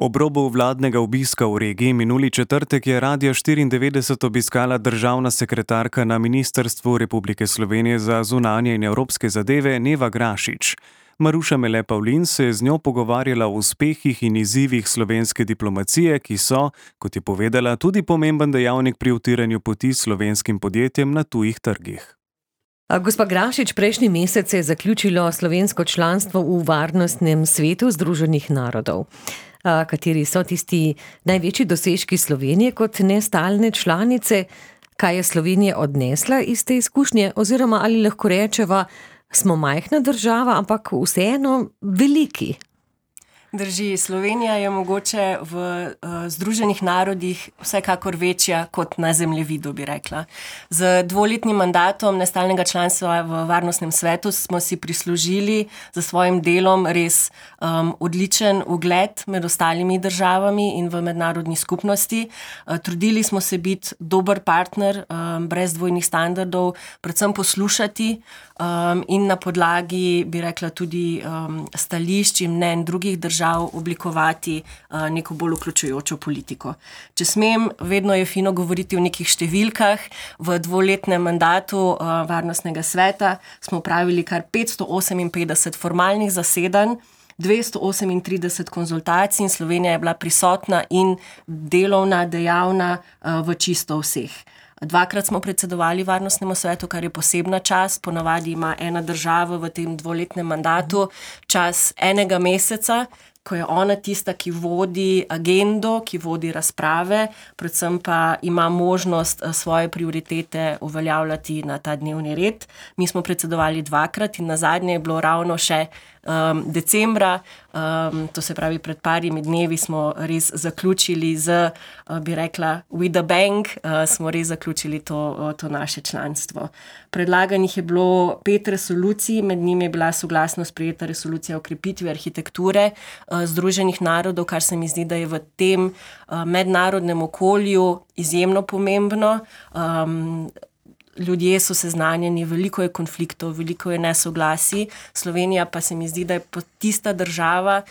Ob robu vladnega obiska v regiji minuli četrtek je Radio 94 obiskala državna sekretarka na Ministrstvu Republike Slovenije za zunanje in evropske zadeve Neva Grašič. Maruša Mele Pavlin se je z njo pogovarjala o uspehih in izzivih slovenske diplomacije, ki so, kot je povedala, tudi pomemben dejavnik pri utiranju poti slovenskim podjetjem na tujih trgih. Gospa Grašič, prejšnji mesec je zaključilo slovensko članstvo v Varnostnem svetu Združenih narodov. Kateri so tisti največji dosežki Slovenije kot nestalne članice? Kaj je Slovenija odnesla iz te izkušnje? Oziroma ali lahko rečeva, smo majhna država, ampak vseeno veliki? Drži, Slovenija je mogoče v Združenih narodih vsekakor večja kot na zemljevidu, bi rekla. Z dvoletnim mandatom nestalnega članstva v Varnostnem svetu smo si prislužili za svojim delom res odličen ugled med ostalimi državami in v mednarodni skupnosti. Trudili smo se biti dober partner, brez dvojnih standardov, predvsem poslušati in na podlagi, bi rekla, tudi stališč in mnenj drugih držav oblikovati neko bolj vključujočo politiko. Če smem, vedno je fino govoriti o nekih številkah. V dvoletnem mandatu Varnostnega sveta smo opravili kar 558 formalnih zasedanj, 238 konzultacij in Slovenija je bila prisotna in delovna, dejavna v čisto vseh. Dvakrat smo predsedovali Varnostnemu svetu, kar je posebna čast. Ponavadi ima ena država v tem dvoletnem mandatu čas enega meseca, ko je ona tista, ki vodi agendo, ki vodi razprave, predvsem pa ima možnost svoje prioritete uveljavljati na ta dnevni red. Mi smo predsedovali dvakrat in nazadnje je bilo ravno še decembra, to se pravi pred parimi dnevi smo res zaključili z, bi rekla, with a bang, smo res zaključili to naše članstvo. Predlaganih je bilo 5 resolucij, med njimi je bila soglasno sprejeta resolucija o krepitvi arhitekture Združenih narodov, kar se mi zdi, da je v tem mednarodnem okolju izjemno pomembno. Ljudje so seznanjeni, veliko je konfliktov, veliko je nesoglasij. Slovenija pa se mi zdi, da je tista država,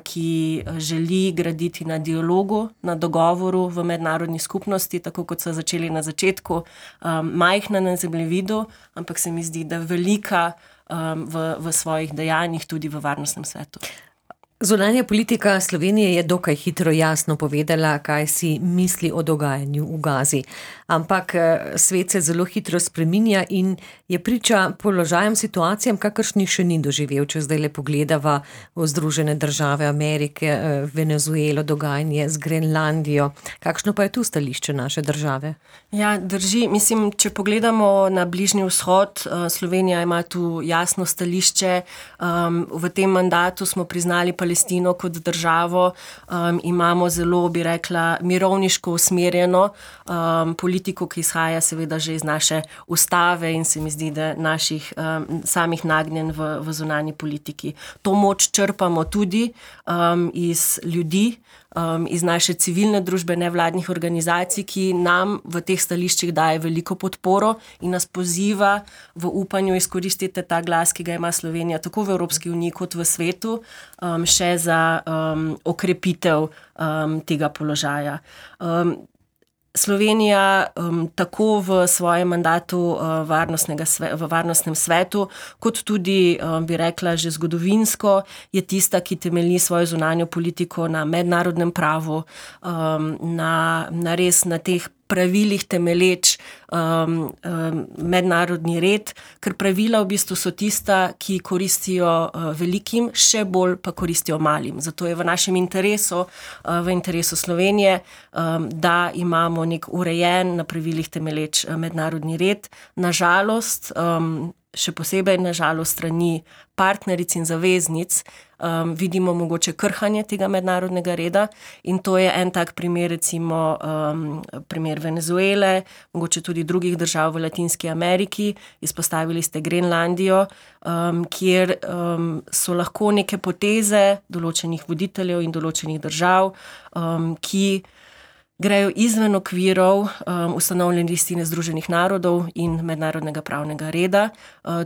ki želi graditi na dialogu, na dogovoru v mednarodni skupnosti, tako kot so začeli na začetku, majhna na zemljevidu, ampak se mi zdi, da velika v svojih dejanjih tudi v Varnostnem svetu. Zunanja politika Slovenije je dokaj hitro jasno povedala, kaj si misli o dogajanju v Gazi. Ampak svet se zelo hitro spreminja in je priča položajem, situacijam, kakršnih še ni doživel. Če zdaj le pogledava v Združene države Amerike, Venezuelo, dogajanje z Grenlandijo. Kakšno pa je tu stališče naše države? Ja, drži. Mislim, če pogledamo na Bližnji vzhod, Slovenija ima tu jasno stališče. V tem mandatu smo priznali Palestino kot državo, imamo zelo, bi rekla, mirovniško usmerjeno politiko, ki izhaja seveda že iz naše ustave in se mi zdi, da naših samih nagnjen v zunanji politiki. To moč črpamo tudi iz ljudi, iz naše civilne družbe, nevladnih organizacij, ki nam v teh stališčih daje veliko podporo in nas poziva v upanju izkoristiti ta glas, ki ga ima Slovenija tako v Evropski uniji kot v svetu, še za okrepitev tega položaja. Slovenija tako v svojem mandatu v Varnostnem svetu, kot tudi, bi rekla, že zgodovinsko je tista, ki temelji svojo zunanjo politiko na mednarodnem pravu, na res na teh pravilih temeleč mednarodni red, ker pravila v bistvu so tista, ki koristijo velikim, še bolj pa koristijo malim. Zato je v našem interesu, v interesu Slovenije, da imamo nek urejen, na pravilih temeleč mednarodni red. Nažalost, še posebej nažalost strani partneric in zaveznic, vidimo mogoče krhanje tega mednarodnega reda in to je en tak primer, recimo primer Venezuele, mogoče tudi drugih držav v Latinski Ameriki. Izpostavili ste Grenlandijo, kjer so lahko neke poteze določenih voditeljev in določenih držav, ki grejo izven okvirov ustanovljene listine Združenih narodov in mednarodnega pravnega reda.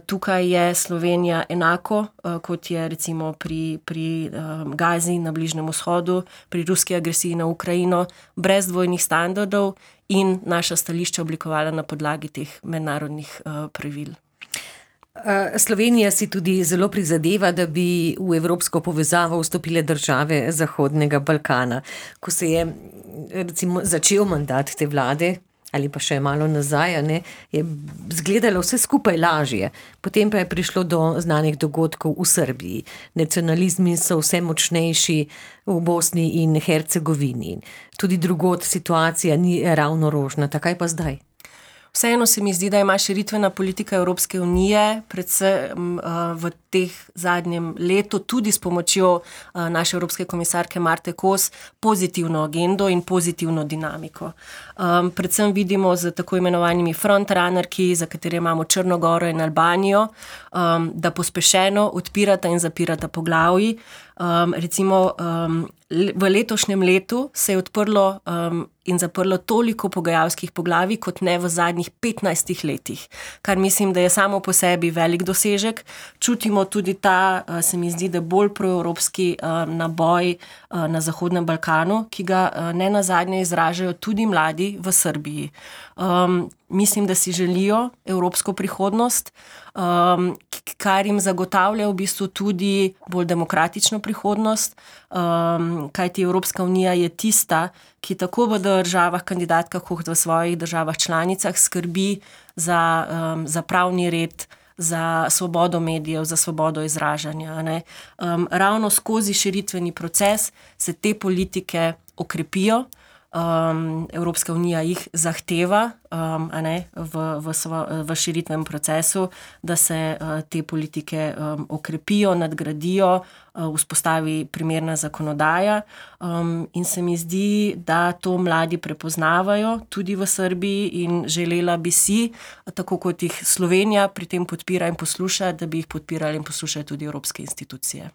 Tukaj je Slovenija enako, kot je recimo pri Gazi na Bližnjem vzhodu, pri ruski agresiji na Ukrajino, brez dvojnih standardov in naša stališča oblikovala na podlagi teh mednarodnih pravil. Slovenija si tudi zelo prizadeva, da bi v evropsko povezavo vstopile države Zahodnega Balkana. Ko se je recimo začel mandat te vlade, ali pa še malo nazaj, je izgledalo vse skupaj lažje. Potem pa je prišlo do znanih dogodkov v Srbiji. Nacionalizmi so vse močnejši v Bosni in Hercegovini. Tudi drugod situacija ni ravno rožnata. Kaj pa zdaj? Vseeno se mi zdi, da ima širitvena politika Evropske unije, predvsem v teh zadnjem letu, tudi s pomočjo naše evropske komisarke Marte Kos, pozitivno agendo in pozitivno dinamiko. Predvsem vidimo z tako imenovanimi frontrunnerki, za katere imamo Črno Goro in Albanijo, da pospešeno odpirata in zapirata poglavji. Recimo v letošnjem letu se je odprlo in zaprlo toliko pogajalskih poglavij, kot ne v zadnjih 15 letih, kar mislim, da je samo po sebi velik dosežek. Čutimo tudi ta, se mi zdi, da bolj proevropski naboj na Zahodnem Balkanu, ki ga ne nazadnje izražajo tudi mladi v Srbiji. Mislim, da si želijo evropsko prihodnost, kar jim zagotavlja v bistvu tudi bolj demokratično prihodnost, kajti Evropska unija je tista, ki tako v državah kandidatkah kot v svojih državah članicah skrbi za pravni red, za svobodo medijev, za svobodo izražanja. Ravno skozi širitveni proces se te politike okrepijo. Evropska unija jih zahteva v širitvenem procesu, da se te politike okrepijo, nadgradijo, vzpostavi primerna zakonodaja in se mi zdi, da to mladi prepoznavajo tudi v Srbiji in želela bi si, tako kot jih Slovenija pri tem podpira in posluša, da bi jih podpirali in poslušali tudi evropske institucije.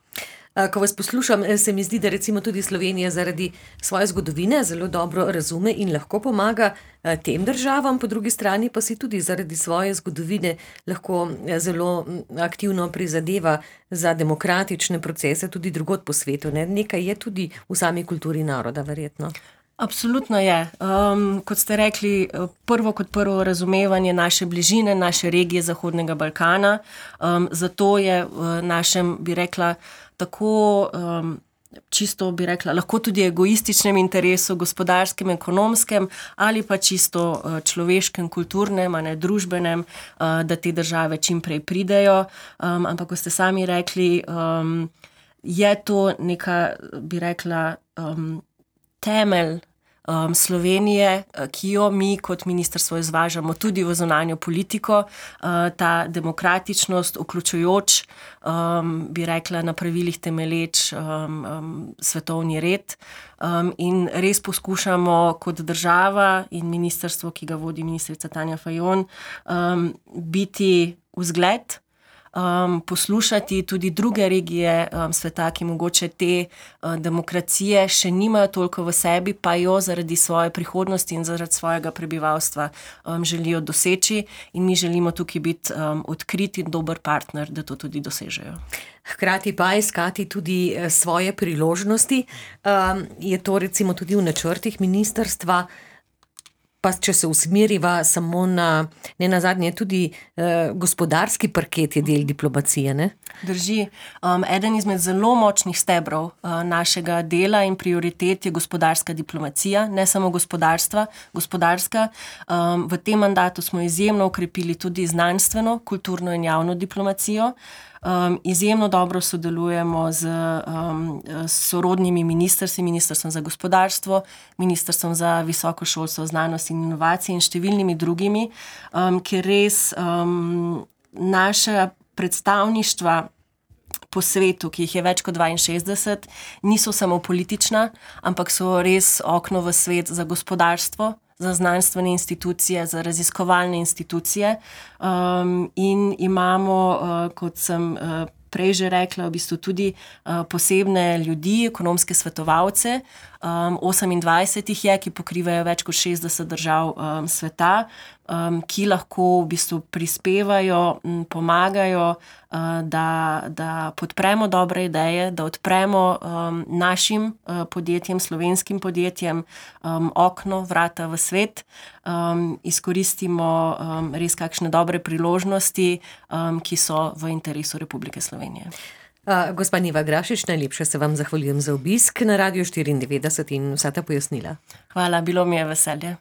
Ko vas poslušam, se mi zdi, da recimo tudi Slovenija zaradi svoje zgodovine zelo dobro razume in lahko pomaga tem državam, po drugi strani pa si tudi zaradi svoje zgodovine lahko zelo aktivno prizadeva za demokratične procese tudi drugod po svetu. Nekaj je tudi v sami kulturi naroda, verjetno. Absolutno je. Kot ste rekli, prvo razumevanje naše bližine, naše regije Zahodnega Balkana. Zato je v našem, bi rekla, tako čisto bi rekla, lahko tudi egoističnem interesu, gospodarskem, ekonomskem ali pa čisto človeškem, kulturnem, družbenem, da te države čim prej pridejo. Ampak, ko ste sami rekli, je to neka, bi rekla, temelj Slovenije, ki jo mi kot ministrstvo izvažamo tudi v zunanjo politiko, ta demokratičnost, vključujoč, bi rekla, na pravilih temeleč svetovni red in res poskušamo kot država in ministrstvo, ki ga vodi ministrica Tanja Fajon, biti vzgled, poslušati tudi druge regije sveta, ki mogoče te demokracije še nimajo toliko v sebi, pa jo zaradi svoje prihodnosti in zaradi svojega prebivalstva želijo doseči in mi želimo tukaj biti odkrit in dober partner, da to tudi dosežejo. Hkrati pa iskati tudi svoje priložnosti. Je to recimo tudi v načrtih ministrstva? Pa če se usmeriva samo na, ne nazadnje, tudi gospodarski parket je del diplomacije, ne? Drži. Eden izmed zelo močnih stebrov našega dela in prioritet je gospodarska diplomacija, ne samo gospodarska. V tem mandatu smo izjemno okrepili tudi znanstveno, kulturno in javno diplomacijo. Izjemno dobro sodelujemo z sorodnimi ministrstvi, Ministrstvom za gospodarstvo, Ministrstvom za visoko šolstvo, znanost in inovacije in številnimi drugimi, ker res naša predstavništva po svetu, ki jih je več kot 62, niso samo politična, ampak so res okno v svet za gospodarstvo, za znanstvene institucije, za raziskovalne institucije in imamo, kot sem prej že rekla, v bistvu tudi posebne ljudi, ekonomske svetovalce. 28 jih je, ki pokrivajo več kot 60 držav sveta, ki lahko v bistvu prispevajo, pomagajo, da podpremo dobre ideje, da odpremo našim podjetjem, slovenskim podjetjem okno, vrata v svet, izkoristimo res kakšne dobre priložnosti, ki so v interesu Republike Slovenije. Gospa Neva Grašič, najlepše se vam zahvaljujem za obisk na Radiu 94 in vsa ta pojasnila. Hvala, bilo mi je veselje.